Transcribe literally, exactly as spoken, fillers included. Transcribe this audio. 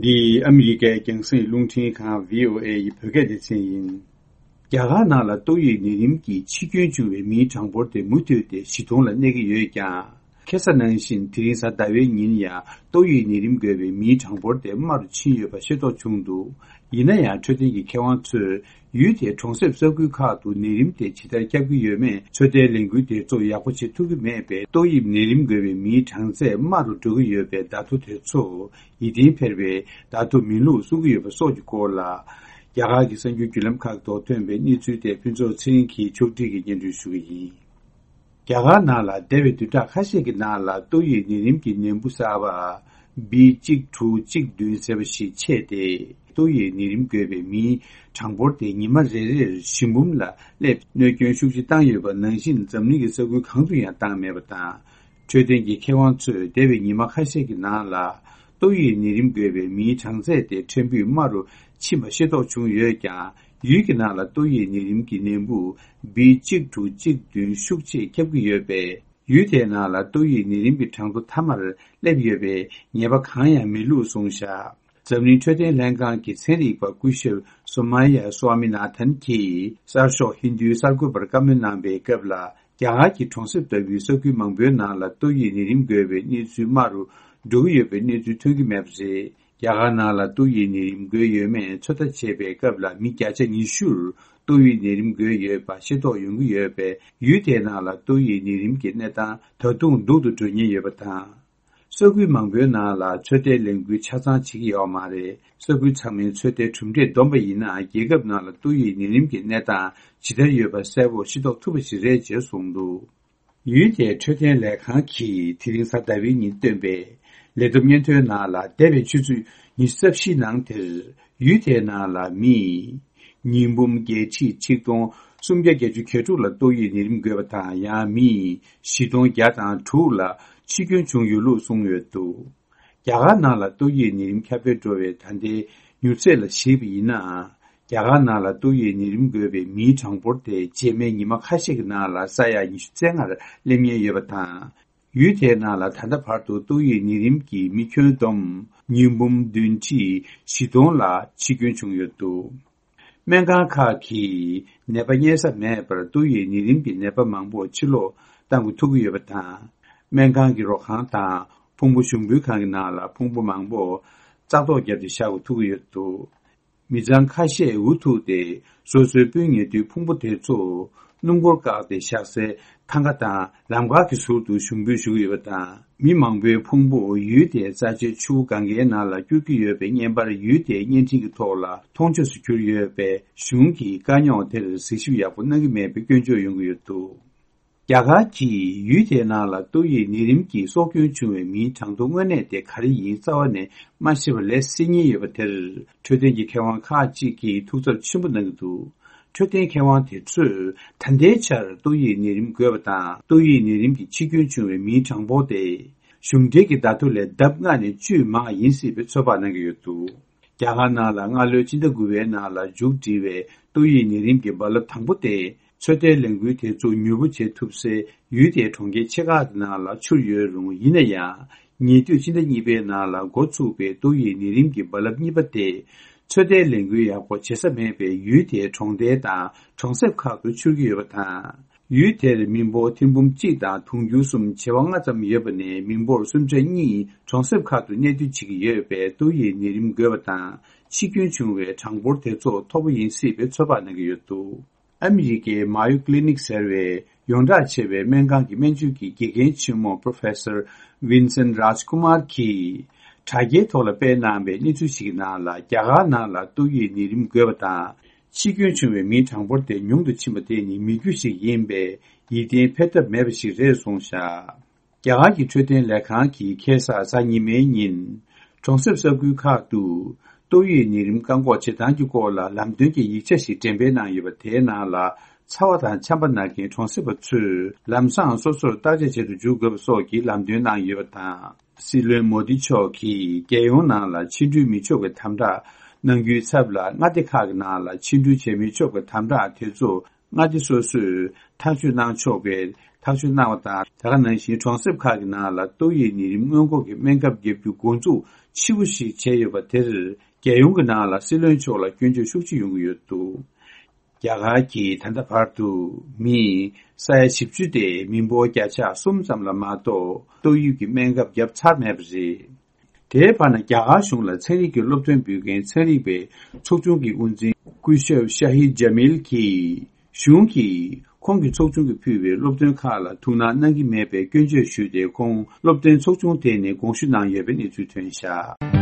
འདི་ཨ་མི་རི་ཀའི་རྒྱང་སྲིང་རླུང་འཕྲིན་ཁང་བྷི་ཨོ་ཨེ་ཡི་བོད་སྐད་སྡེ་ཚན་ཡིན། རྒྱ་གར་ནང་ལ་ཏོག་དབྱིབས་ནད་རིམས་ཀྱིས་འཆི་སྐྱོན་བྱུང་བའི་མིའི་གྲངས་འབོར་དེ་མུ་མཐུད་དེ་བཞི་སྟོང་ལ་གནས་ཀྱི་ཡོད་ཀྱང་། ཁ་སང་ནང་བཞིན་དེ་རིང་གཟའ་ཟླ་བའི་ཉིན་ཡང་ཏོག་དབྱིབས་ནད་རིམས་འགོས་པའི་མིའི་གྲངས་འབོར་དེ་དམའ་རུ་ཕྱིན་ཡོད་པ་ཤེས་རྟོགས་བྱུང་འདུག་ཡིན་ན་ཡང་འཕྲོད་བསྟེན་གྱི་མཁས་དབང་ཚོས། ཡུལ་དེའི་གྲོང་གསེབ་ས་ཁུལ་ཁག་ཏུ་ནད་རིམས་དེ་ཇི་ལྟར་ཁྱབ་ཀྱི་ཡོད་མེད་ཚོད་ལྟའི་ལས་འགུལ་དེ་ཚོ་ཡག་པོ་བྱེད་ཐུབ་ཀྱི་མེད་པས། ཏོག་དབྱིབས་ནད་རིམས་འགོས་པའི་མིའི་གྲངས་ཚད་དམའ་རུ་འགྲོ་གི་ཡོད་པའི་བརྡ་ཐོ་དེ་ཚོ་ཡིད་བརྟན་འཕེར་བའི་བརྡ་ཐོ་མིན་ལུགས་གསུང་གི་ཡོད་པ་སོགས་ཀྱི་སྐོར་ལ། རྒྱ་གར་གྱི་གསར་འགྱུར་བརྒྱུད་ལམ་ཁག་ཐོག་ཐོན་པའི་གནས་ཚུལ་དེ་ཕུན་ཚོགས་ཚེ་རིང་གིས་ཕྱོགས་སྒྲིག་གིས་སྙན་སྒྲོན་ཞུ་གི་ཡིན། རྒྱ་གར་ནང་ལ་འདས་པའི་བདུན་ཕྲག་ཁ་ཤས་ཀྱི་ནང་ལ་ཏོག་དབྱིབས་ནད་རིམས་ཀྱི་ནད་འབུ་གསར་པ་བྷི་གཅིག་དྲུག་གཅིག་བདུན་ཟེར་བ་ཞིག་མཆེད་དེ། ཏོག་དབྱིབས་ནད་རིམས་འགོས་པའི་མིའི་གྲངས་འབོར་དེ་ཉི་མ་རེ་རེར་བཞི་འབུམ་ལ་སླེབས། གནོད་སྐྱོན་ཤུགས་ཆེ་བཏང་ཡོད་པ་ནང་བཞིན་འཛམ་གླིང་གི་ས་ཁུལ་གང་དུ་ཡང་བཏང་མེད་པ་དང་། འཕྲོད་བསྟེན་གྱི་མཁས་དབང་ཚོས་འདས་པའི་ཉི་མ་ཁ་ཤས་ཀྱི་ནང་ལ་ཏོག་དབྱིབས་ནད་རིམས་འགོས་པའི་མིའི་གྲངས་ཚད་དེ་ཕྲན་བུ་དམའ་རུ་ཕྱིན་པ་ཤེས་རྟོགས་བྱུང་ཡོད་ཀྱང་། ཡུལ་གྱི་ནང་ལ་ཏོག་དབྱིབས་ནད་རིམས་ཀྱི་ནད་འབུ་བྷི་གཅིག་དྲུག་གཅིག་བདུན་ཤུགས་ཆེ་ཁྱབ་ཀྱི་ཡོད་པས། ཡུལ་དེའི་ནང་ལ་ཏོག་དབྱིབས་ནད་རིམས་ཀྱི་གྲངས་ཐོ་མཐའ་མར་སླེབས་ཡོད་པའི་ངེས་པ་གང་ཡང་མེད་ལུགས་གསུངས་བཞག་འཛམ་གླིང་འཕྲོད་བསྟེན་ལྷན་ཁང་གི་ཚན་རིག་པ་སྐུ་ཞབས་སོ་མ་ཡ་སོ་ཨ་མི་ན་ཐན་གྱིས་གསར་ཤོག་ཧིན་དུའི་གསར་འགོད་པར་བཀའ་མོལ་གནང་པའི་སྐབས་ལ། རྒྱ་གར་གྱི་གྲོང་གསེབ་ལྟ་བུའི་ས་ཁུལ་མང་པོའི་ནང་ལ་ཏོག་དབྱིབས་ནད་རིམས་འགོས་པའི་གནས་ཚུལ་དམའ་རུ་འགྲོ་གི་ཡོད་པའི་གནས་ཚུལ་ཐོན་གྱི་མེད་པ་རེད། རྒྱ་གར་ནང་ལ་ཏོག་དབྱིབས་ནད་རིམས་འགོས་ཡོད་མེད་ཚོད་ལྟ་བྱེད་པའི་སྐབས་ལ་མི་བརྒྱ་ཆ་ཉི་ཤུར་ཏོག་དབྱིབས་ནད་རིམས་འགོས་ཡོད་པ་ཤེས་རྟོགས་ཡོང་གི་ཡོད་པས། ཡུལ་དེའི་ནང་ལ་ཏོག་དབྱིབས་ནད་རིམས་ཀྱི་གནས་སྟངས་ད་དུང་སྡུག་ཏུ་འགྲོ་ཉེན་ཡོད་པ་དང་། ས་ཁུལ་མང་པོའི་ནང་ལ་ཚོད་ལྟའི་ལས་འགུལ་ཆ་ཚང་བྱེད་ཀྱི་ཡོད་མ་རེད། ས་ཁུལ་ཚང་མའི་ཚོད་ལྟའི་གྲུབ་འབྲས་བསྡོམས་པ་ཡིན་ན། རྒྱལ་ཁབ་ནང་ལ་ཏོག་དབྱིབས་ནད་རིམས་ཀྱི་གནས་སྟངས་ཇི་ལྟར་ཡོད་པ་གསལ་པོ་ཤེས་རྟོགས་ཐུབ་པ་ཞིག་རེད་ཅེས་གསུངས་འདུག་ཡུལ་དེའི་འཕྲོད་བསྟེན་ལས་ཁང་གིས་དེ་རིང་གཟའ་ཟླ་བའི་ཉིན་བཏོན་པའི་ལས་བསྡོམས་སྙན་ཐོའི་ནང་ལ། འདས་པའི་ཆུ་ཚོད་ཉི་ཤུ་རྩ་བཞི་ནང་དེར་ཡུལ་དེའི་ནང་ལ་མི་ཉིས་འབུམ་བརྒྱད་ཁྲི་ཆིག་སྟོང་སུམ་བརྒྱ་བརྒྱད་ཅུ་གྱ་དྲུག་ལ་ཏོག་དབྱིབས་ནད་རིམས་འགོས་པ་དང་། ཡང་མི་བཞི་སྟོང་བརྒྱ་དང་དྲུག་ལ་འཆི་སྐྱོན་བྱུང་ཡོད་ལུགས་གསུངས་ཡོད་འདུག་རྒྱ་གར་ནང་ལ་ཏོག་དབྱིབས་ནད་རིམས་ཁྱབ་སྤེལ་འགྲོ་བའི་ད་ལྟའི་མྱུར་ཚད་ལ་གཞིགས་པ་ཡིན་ན། རྒྱ་གར་ནང་ལ་ཏོག་དབྱིབས་ནད་རིམས་འགོས་པའི་མིའི་གྲངས་འབོར་དེ་རྗེས་མའི་ཉི་མ་ཁ་ཤས་ཀྱི་ནང་ལ་ས་ཡ་ཉི་ཤུ་རྩ་ལྔར་སླེབས་ཉེན་ཡོད་པ་དང་། ཡུལ་དེའི་ནང་ལ་ད་ལྟ་བར་དུ་ཏོག་དབྱིབས་ནད་རིམས་ཀྱིས་མི་ཁྱོན་བསྡོམས་ཉིས་འབུམ་བདུན་ཁྲི་བཞི་སྟོང་ལ་འཆི་སྐྱོན་བྱུང་ཡོད་འདུག་སྨན་ཁང་ཁག་གིས་ནད་པ་རྙེད་ས་མེད་པར་ཏོག་དབྱིབས་ནད་རིམས་ཀྱི་ནད་པ་མང་པོ་ཕྱིར་ལོག་གཏང་དགོས་ཐུག་གི་ཡོད་པ་དང་། སྨན་ཁང་གི་རོགས་ཁང་དང་ཕུང་པོ་ཞུགས་འབུལ་ཁང་གི་ནང་ལ་ཕུང་པོ་མང་པོ་བཙག་འཐུ་བརྒྱབ་སྟེ་བཞག་དགོས་ཐུག་གི་ཡོད་འདུག་མི་ཚང་ཁ་ཤས་འུ་ཐུག་སྟེ་སོ་སོའི་སྤུན་ཉེ་དུའི་ཕུང་པོ་དེ་ཚོ་སྣུམ་འཁོར་བཀག་སྟེ་བཞག་སའི་ཐང་ག་དང་ལམ་ཁ་གི་ཟུར་དུ་ཞུགས་འབུལ་ཞུ་གི་ཡོད་པ་དང་། མི་མང་པོའི་ཕུང་པོ་ཡུལ་དེའི་རྩ་ཆེའི་ཆུ་བོ་གངྒཱའི་ནང་ལ་སྐྱུར་གྱི་ཡོད་པའི་བརྙན་པར་ཡུལ་དེའི་བརྙན་འཕྲིན་གྱི་ཐོག་ལ་མཐོང་ཆོས་སུ་གྱུར་ཡོད་པས། གཞུང་གིས་དཀའ་རྙོག་དེར་གཟིགས་ཞིབ་ཡག་པོ་གནང་གི་མེད་པའི་སྐྱོན་བརྗོད་ཡོང་གི་ཡོད་འདུག་རྒྱ་གར་གྱིས་ཡུལ་དེའི་ནང་ལ་ཏོག་དབྱིབས་ནད་རིམས་ཀྱིས་སྲོག་སྐྱོན་བྱུང་བའི་མིའི་གྲངས་ཐོ་དངོས་གནས་དེ་ག་རེ་ཡིན་རྩ་བ་ནས་མ་ཤེས་པ་ལས་སེལ་ཉེན་ཡོད་པ་དེར། འཕྲོད་བསྟེན་གྱི་མཁས་དབང་ཁག་ཅིག་གིས་ཐུགས་འཚབ་ཆེན་པོ་གནང་གི་འདུག་འཕྲོད་བསྟེན་མཁས་དབང་དེ་ཚོས་ད་ལྟའི་ཆར་ཏོག་དབྱིབས་ནད་རིམས་འགོས་པ་དང་ཏོག་དབྱིབས་ནད་རིམས་ཀྱི་འཆི་སྐྱོན་བྱུང་བའི་མིའི་གྲངས་འབོར་དེ་གཞུང་འབྲེལ་གྱི་བརྡ་ཐོ་ལས་ལྡབ་ལྔ་ནས་བཅུ་མང་ཡིན་སྲིད་པའི་ཚོད་དཔག་གནང་གི་ཡོད་འདུག་རྒྱ་གར་ནང་ལ་སྔ་ལོའི་ཕྱི་ཟླ་དགུ་པའི་ནང་ལ་མཇུག་སྒྲིལ་བའི་ཏོག་དབྱིབས་ནད་རིམས་ཀྱི་རྦ་རླབས་དང་པོ་དེ། ཚོད་ལྟའི་ལས་འགུལ་དེ་ཚོ་མྱུར་པོ་བྱེད་ཐུབ་སའི་ཡུལ་དེའི་གྲོང་ཁྱེར་ཆེ་ཁག་གི་ནང་ལ་འཕྱུར་ཡོད་རུང་། ཡིན་ན་ཡང་། ཉེ་དུས་ཕྱི་ཟླ་གཉིས་པའི་ནང་ལ་འགོ་ཚུགས་པའི་ཏོག་དབྱིབས་ནད་རིམས་ཀྱི་རྦ་རླབས་གཉིས་པ་དེ། ཚོད་ལྟའི་ལས་འགུལ་ཡག་པོ་བྱེད་ས་མེད་པའི་ཡུལ་དེའི་གྲོང་རྡལ་དང་གྲོང་གསེབ་ཁག་ཏུ་འཕྱུར་གྱི་ཡོད་པ་དང་། ཡུལ་དེར་མི་འབོར་ཐེར་འབུམ་གཅིག་དང་དུང་ཕྱུར་གསུམ་བྱེ་བ་ལྔ་ཙམ་ཡོད་པ་ནས། མི་འབོར་སུམ་ཆ་གཉིས་གྲོང་གསེབ་ཁག་ཏུ་གནས་སྡོད་བྱེད་ཀྱི་ཡོད་པས། ཏོག་དབྱིབས་ནད་རིམས་འགོས་པ་དང་འཆི་སྐྱོན་བྱུང་བའི་གྲངས་འབོར་དེ་ཚོ་མཐོ་པོ་ཡིན་སྲིད་པའི་ཚོད་དཔག་གནང་གི་ཡོད་འདུག་ཨ་མི་རི་ཀའི་མ་ཡོ་ཀི་ལི་ནིག་ཟེར་བའི་ཡོངས་གྲགས་ཆེ་བའི་སྨན་ཁང་གི་སྨན་བཅོས་ཀྱི་དགེ་རྒན་ཆེན་མོ་Professor Vincent Rajkumar་གྱིས་དྲ་རྒྱའི་ཐོག་ལ་སྤེལ་གནང་བའི་གནས་ཚུལ་ཞིག་གི་ནང་ལ། རྒྱ་གར་ནང་ལ་ཏོག་དབྱིབས་ནད་རིམས་འགོས་པ་དང་འཆི་སྐྱོན་བྱུང་བའི་མིའི་གྲངས་འབོར་དེ་ཉུང་དུ་ཕྱིན་པ་དེ་ནི་མི་རྒྱུ་ཞིག་ཡིན་པས་ཡིད་བརྟན་འཕེར་ཐབས་མེད་པ་ཞིག་རེད་གསུངས་བཞག་རྒྱ་གར་གྱི་འཕྲོད་བསྟེན་ལས་ཁང་གིས་ཁ་སང་གཟའ་ཉི་མའི་ཉིན། གྲོང་གསེབ་ས་ཁུལ་ཁག་ཏུ་ཏོག་དབྱིབས་ནད་རིམས་བཀག་འགོག་བྱེད་སྟངས་ཀྱི་སྐོར་ལ་ལམ་སྟོན་གྱི་ཡིག་ཆ་ཞིག་འགྲེམས་སྤེལ་གནང་ཡོད་པ། དེའི་ནང་ལ་ཚ་བ་དང་ཆམ་པ་ན་མཁན་གྲོང་གསེབ་པ་ཚོས་ལམ་སང་སོ་སོར་བརྟག་དཔྱད་བྱེད་དུ་འཇུག་དགོས་པ་སོགས་ཀྱི་ལམ་སྟོན་གནང་ཡོད་པ་དང་། སྲིད་བློན་མོ་དི་མཆོག་གིས་རྒྱལ་ཡོངས་ནང་ལ་ཕྱི་འགྲུལ་མི་ཆོག་པའི་དམ་དྲག་གནང་རྒྱུའི་ཚབ་ལ། མངའ་སྡེ་ཁག་གི་ནང་ལ་ཕྱི་འགྲུལ་བྱེད་མི་ཆོག་པའི་དམ་དྲག་དེ་ཚོ། མངའ་སྡེ་སོ་སོས་ཐག་གཅོད་གནང་ཆོག་པའི་ཐག་གཅོད་གནང་བ་དང་། དེ་ག་ནང་བཞིན་གྲོང་གསེབ་ཁག་གི་ནང་ལ་ཏོག་དབྱིབས་ནད་རིམས་སྔོན་འགོག་གི་སྨན་ཁབ་བརྒྱབ་རྒྱུ་འགོ་འཛུགས་ཆེ་བོ་ཞིག་བྱས་ཡོད་པ་དེར། རྒྱལ་ཡོངས་ཀྱི་ནང་ལ་སྲིད་བློན་མཆོག་ལ་སྐྱོན་བརྗོད་ཤུགས་ཆེ་ཡོང་གི་ཡོད་འདུག་རྒྱ་གར་གྱིས་ད་ལྟ་བར་དུ་མི་ས་ཡ་བཞི་བཅུ་སྟེ་མི་འབོར་བརྒྱ་ཆ་གསུམ་ཙམ་ལ་མ་གཏོགས་ཏོག་དབྱིབས་ཀྱི་སྨན་ཁབ་བརྒྱབ་ཚར་མེད་པ་རེད། དེའི་བར་ན་རྒྱ་གར་གཞུང་ལ་ཚན་རིག་གི་སློབ་སྟོན་འབུལ་མཁན་ཚན་རིག་པའི་ཚོགས་ཆུང་གི་དབུ་འཛིན་སྐུ་ཞབས་ཤ་ཧིད་ཇ་མིལ་གྱིས། གཞུང་གིས་ཁོང་གི་ཚོགས་ཆུང་གིས་ཕུལ་བའི་སློབ་སྟོན་ཁག་ལ་ཐུགས་སྣང་གནང་གི་མེད་པའི་སྐྱོན་བརྗོད་ཞུས་ཏེ། ཁོང་སློབ་སྟོན་ཚོགས་ཆུང་དེ་ནས་དགོངས་ཞུ་གནང་ཡོད་པའི་གནས་ཚུལ་ཐོན་བཞག